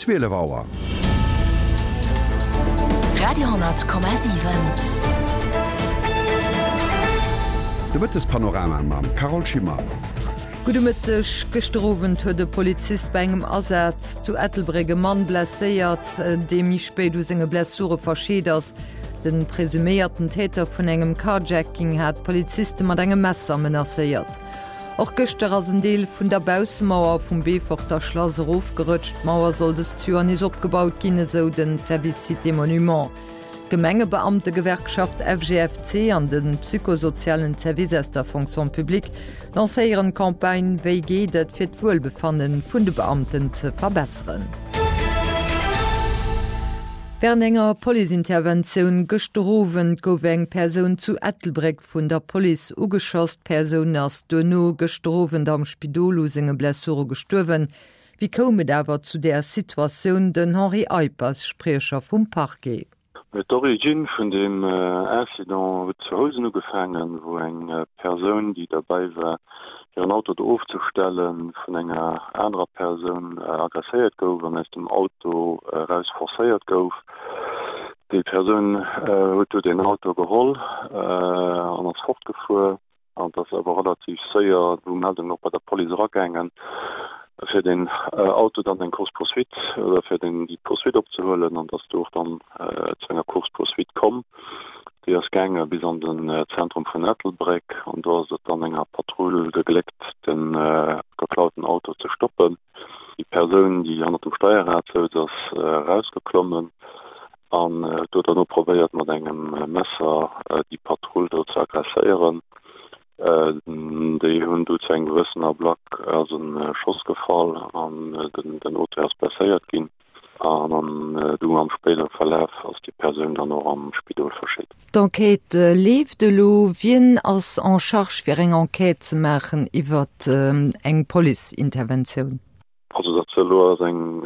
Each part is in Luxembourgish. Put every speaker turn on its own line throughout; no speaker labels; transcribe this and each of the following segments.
12 Auer.
Radio,7.
De Mëttespanorama mam Carole Schimmer.
Gudde Mëtteg. Gëschter Owend huet e Polizist bei engem Asaz zu Ettelbréck e Mann blesséiert, dee méi spéit u senge Blessure verscheet ass. De presuméierten Täter vun engem Carjacking hat d'Poliziste mat engem Messer menacéiert. Och gëschter ass en Deel vun der Baussemauer vum Beeforter Schlass erofgerëtscht. D'Mauer soll dëst Joer nees opgebaut ginn, esou de Service Sites et Monuments. D'Gemengebeamtegewerkschaft FGFC an de psychosozialen Service aus der Fonction publique lancéieren d'Campagne Wéi geet et? fir d'Wuelbefanne vun de Beamten ze verbesseren. Wärend enger Policeinterventioun gëschter Owend gouf eng Persoun zu Ettelbréck vun der Police ugeschoss. D'Persoun ass duerno gëschter Owend am Spidol u senge Blessure gestuerwen. Wéi koum et awer zu där Situatioun? Den Henri Eippers, Spriecher vum Parquet.
D'Origine vun deem Incident huet zu Housen ugefaangen, wou eng Persoun, déi derbäi war, hiren Auto do ofzestellen, vun enger anerer Persoun agresséiert gouf an aus dem Auto eraus forcéiert gouf. Déi Persoun huet du den Auto geholl an ass fortgefuer an et ass awer relativ séier du Meldung och bei der Police eragaangen, fir den Auto dann eng Course poursuite oder fir den déi Poursuite opzehuelen an et ass du och dann zu enger Course poursuite komm. Déi ass gaange bis an den Zentrum vun Ettelbréck an do ass et dann enger Patrull gegléckt de geklauten Auto ze stoppen. Déi Persoun, déi hannert dem Steierrad souz, ass erausgeklommen an huet do derno probéiert, mat engem Messer déi Patrull do ze aggresséieren. Déi hunn du zu engem gewëssen Ablack ass e Schoss gefall an den Auteur ass blesséiert ginn. An du am spéidere Verlaf ass déi Persoun dann och am Spidol verscheet.
D'Enquête leeft elo. Wien ass en charge fir eng Enquête ze maachen iwwert eng Police-Interventioun?
Also dat elo ass eng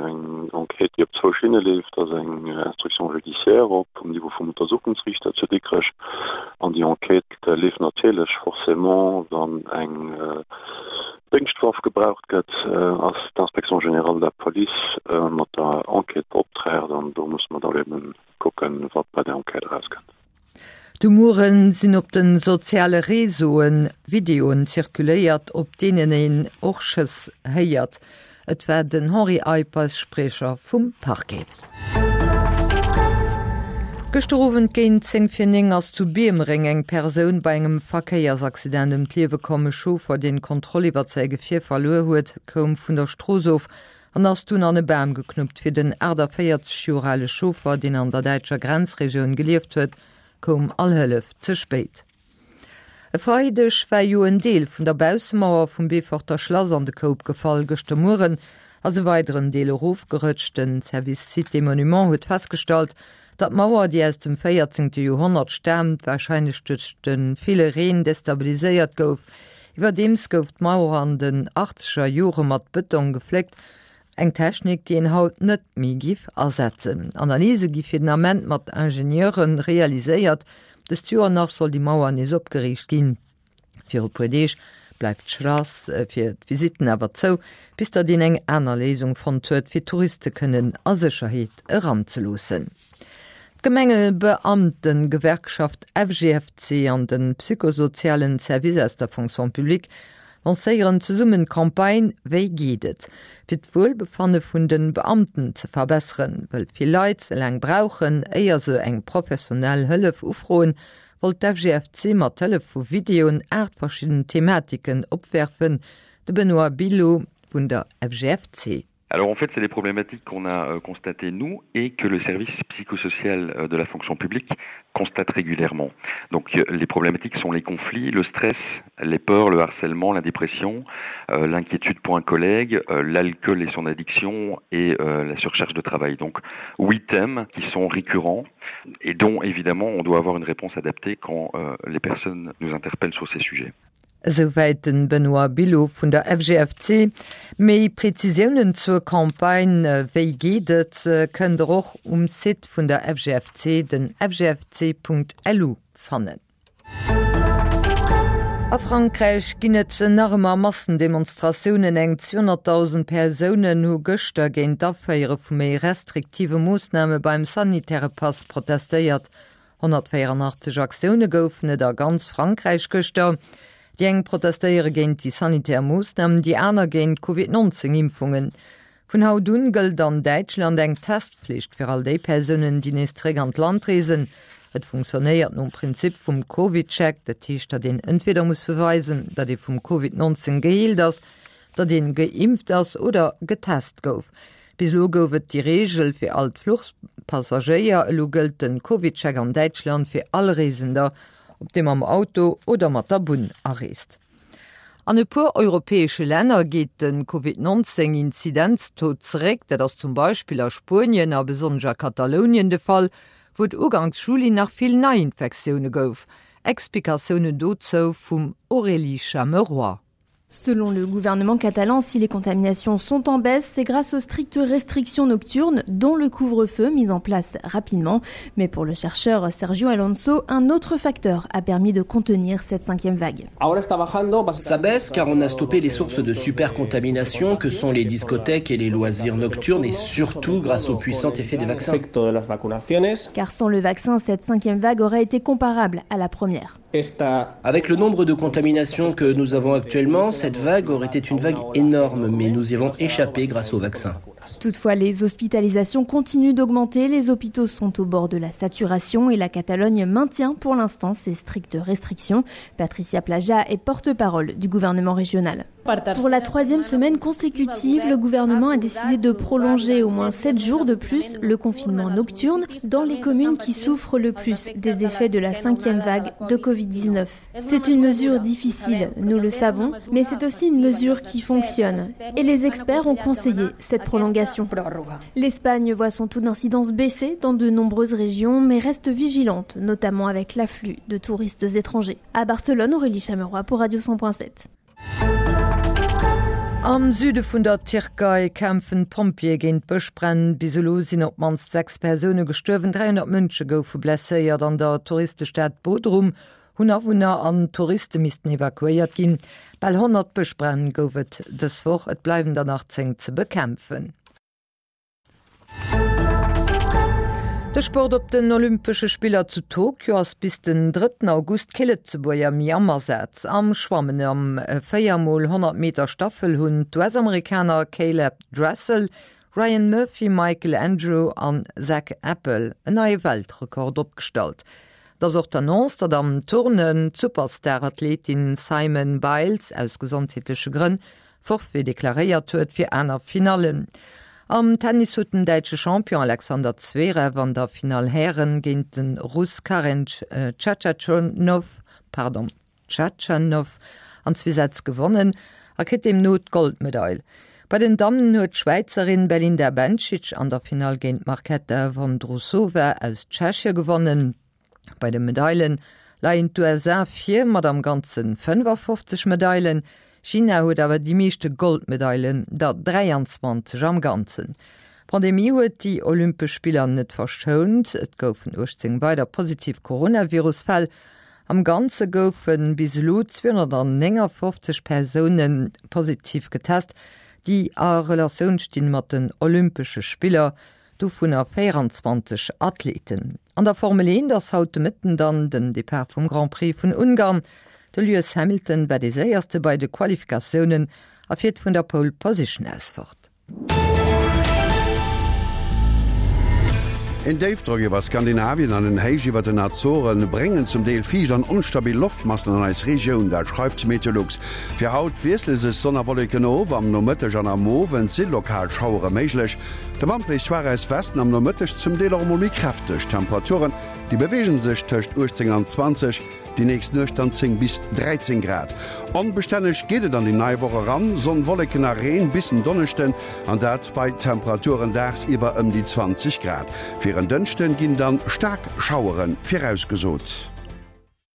Enquête, déi op zwou Schinne leeft. Et ass eng Instruction judiciaire op um Niveau vum Untersuchungsriichter zu Dikrech. An déi Enquête leeft natierlech forcément, wann eng Déngschtwaff gebraucht gëtt, ass d'Inspection générale de la police mat der Enquête beoptraagt an do musse mer da eben kucken, wat bei där Enquête erauskënnt.
De Muere sinn op de soziale Réseaue Videoen zirkuléiert, op deenen een och Schëss héiert. Et war den Henri Eippers, Spriecher vum Parquet. Gëschter Owend géint 10 vir 9 ass zu Biermereng eng Persoun bei engem Verkéiersaccident ëm d'Liewe komm. E Chauffer, deen d'Kontroll iwwert säi Gefier verluer huet, koum vun der Strooss of an ass dunn an e Bam geknuppt. Fir den 48 Joer ale Chauffer, deen an der däitscher Grenzregioun gelieft huet, koum all Hëllef ze spéit. E Freideg war jo en Deel vun der Baussemauer vum Beeforter Schlass an de Koup gefall. Gëschter Mueren ass e weideren Deel erofgerëtscht. Den Service Sites et Monuments huet festgestallt, datt d'Mauer, déi aus dem 14. Joerhonnert staamt, warscheinlech duerch de ville Reen destabiliséiert gouf. Iwwerdeems gouf d'Mauer an den achtzeger Jore mat Bëtong gefléckt. Eng Technik, déi een haut net méi giff asetzen. Analyse gi fir den Ament mat Ingenieure realiséiert. Dëst Joer nach soll déi Mauer nees opgeriicht ginn. Viru puer Deeg bleift d'Schlass fir d'Visitten awer zou, bis datt een eng aner Léisung fonnt huet, fir d'Touriste kënnen a Sécherheet eranzeloossen. D'Gemengebeamtengewerkschaft FGFC an de psychosozialen Service aus der Fonction publique lancéieren zesummen d'Campagne Wéi geet et? fir d'Wuelbefanne vun de Beamten ze verbesseren. Wëll vill Leit laang brauchen, éier se eng professionell Hëllef ufroen, wollt d'FGFC mat Hëllef vu Videoen 8 verschidden Thematiken opwerfen. De Benoît Billot vun der FGFC.
Alors en fait, c'est des problématiques qu'on a euh, constatées nous et que le service psychosocial euh, de la fonction publique constate régulièrement. Donc euh, les problématiques sont les conflits, le stress, les peurs, le harcèlement, la dépression, euh, l'inquiétude pour un collègue, euh, l'alcool et son addiction et euh, la surcharge de travail. Donc huit thèmes qui sont récurrents et dont évidemment on doit avoir une réponse adaptée quand euh, les personnes nous interpellent sur ces sujets.
Esouwäit den Benoît Billot vun der FGFC. Méi Prezisiounen zur Campagne Wéi geet et? kënnt der och um Site vun der FGFC, den fgfc.lu fannen. A Frankräich ginn et nach ëmmer Massendemonstratiounen. Eng 200.000 Persounen hu gëschter géint d'Aféiere vu méi restriktive Moossname beim sanitäre Pass protestéiert. 184 Aktioune goufen et a ganz Frankräich gëschter. Déi eng protestéiere géint déi sanitär Moossnamen, déi aner géint d'Covid 19 Impfungen. Vun haut un gëllt an Däitschland eng Testflicht fir all déi Persounen, déi nees zeréck an d'Land reesen. Et funktionéiert nom Prinzip vum Covid-Check, dat heescht, datt een entweder muss beweisen, datt ee vum Covid 19 geheelt ass, datt een geimpft ass oder getest gouf. Bis elo gouf et déi Reegel fir all d'Fluchpassagéier. Elo gëllt de Covid-Check an Däitschland fir all Reesender, ob dee mam Auto oder mat der Bunn areest. An e puer europäesche Länner geet de Covid 19 Inzidenztaux zeréck. Dat ass zum Beispill a Spuenien a besonnesch a Katalounien de Fall, wou et uganks Juli nach vill Neiinfektioune gouf. Explikatiounen dozou vum Aurélie Chameroy.
Selon le gouvernement catalan, si les contaminations sont en baisse, c'est grâce aux strictes restrictions nocturnes, dont le couvre-feu mis en place rapidement. Mais pour le chercheur Sergio Alonso, un autre facteur a permis de contenir cette cinquième vague.
Ça baisse car on a stoppé les sources de supercontamination que sont les discothèques et les loisirs nocturnes et surtout grâce au puissant effet des vaccins.
Car sans le vaccin, cette cinquième vague aurait été comparable à la première.
Avec le nombre de contaminations que nous avons actuellement, cette vague aurait été une vague énorme, mais nous y avons échappé grâce au vaccin.
Toutefois, les hospitalisations continuent d'augmenter, les hôpitaux sont au bord de la saturation et la Catalogne maintient pour l'instant ses strictes restrictions. Patricia Plaja est porte-parole du gouvernement régional. Pour la troisième semaine consécutive, le gouvernement a décidé de prolonger au moins sept jours de plus le confinement nocturne dans les communes qui souffrent le plus des effets de la cinquième vague de Covid-19. C'est une mesure difficile, nous le savons, mais c'est aussi une mesure qui fonctionne. Et les experts ont conseillé cette prolongation. L'Espagne voit son taux d'incidence baisser dans de nombreuses régions, mais reste vigilante, notamment avec l'afflux de touristes étrangers. À Barcelone, Aurélie Chameroy pour Radio 100.7.
Am Süde vun der Tierkei kämpfen d'Pompjeeë géint Bëschbränn. Bis elo sinn op d'mannst 6 Persoune gestuerwen, 300 Mënsche goufe blesséiert. An der Touristestad Bodrum hunn Awunner an Touriste missten evakuéiert ginn. Bal 100 Bëschbränn gouf et dës Woch, et bleiwen der nach 10 ze bekämpfen. De Sport Op den Olympesche Spiller zu Tokio ass bis den drëtten August kee Lëtzebuerger méi am Asaz. Am Schwammen am 4 mol 100 Meter Staffel hunn d'US-Amerikaner Caeleb Dressel, Ryan Murphy, Michael Andrew an Zach Apple en neie Weltrekord opgestallt. Et ass och d'Annonce, datt am Turnen d'Superstar-Athletin Simone Biles aus gesondheetleche Grënn Forfait deklaréiert huet fir aner Finallen. Am Tennis huet den däitsche Champion Alexander Zverev an der Finall Hären géint de Russ Karen Chachanov, pardon, Khachanov an zwee Sätz gewonnen a kritt deemno d'Goldmedail. Bei den Dammen huet d'Schwäizerin Belinda Bencic an der Finall géint d'Marketa Vondrousova aus Tschechie gewonnen. Bei de Medaile leien d'USA vir mat am Ganze 55 Medailen. China huet awer déi meeschte Goldmedailen, der 23 am Ganzen. D'Pandemie huet déi Olympesch Spiller net verschount. Et goufen 18 weider positiv Coronavirus-Fäll. Am Ganze goufe bis elo 259 Persoune positiv getest, déi a Relatioun stinn mat den Olympesche Spiller. Dovunner 24 Athleten. An der Formel 1 ass haut de Mëtten dann den Depart vum Grand Prix vun Ungarn. De Lewis Hamilton war dee séierste bei de Qualifikatiounen a fiert vun der Pole Position aus fort.
Een Déifdrock iwwer Skandinavien an en Héich iwwer den Azoren bréngen zum Deel fiicht an onstabil Loftmassen an eis Regioun, dat schreift Meteolux. Fir haut wiessle sech Sonn a Wolleken of, am Nomëtteg an am Owend si lokal Schauere méiglech. De Wand bléist schwaach aus Westen, am Nomëtteg zum Deel och emol méi kräfteg. D'Temperaturen, déi beweege sech tëscht 18 an 20, déi nächst Nuecht dann 10 bis 13 Grad. Onbestänneg geet et an déi nei Woch eran, Sonn, Wolleken a Reen bis en Donneschden, an dat bei Temperaturen dagsiwwer ëm déi 20 Grad. Fir en Dënschde ginn dann staark Schauere virausgesot.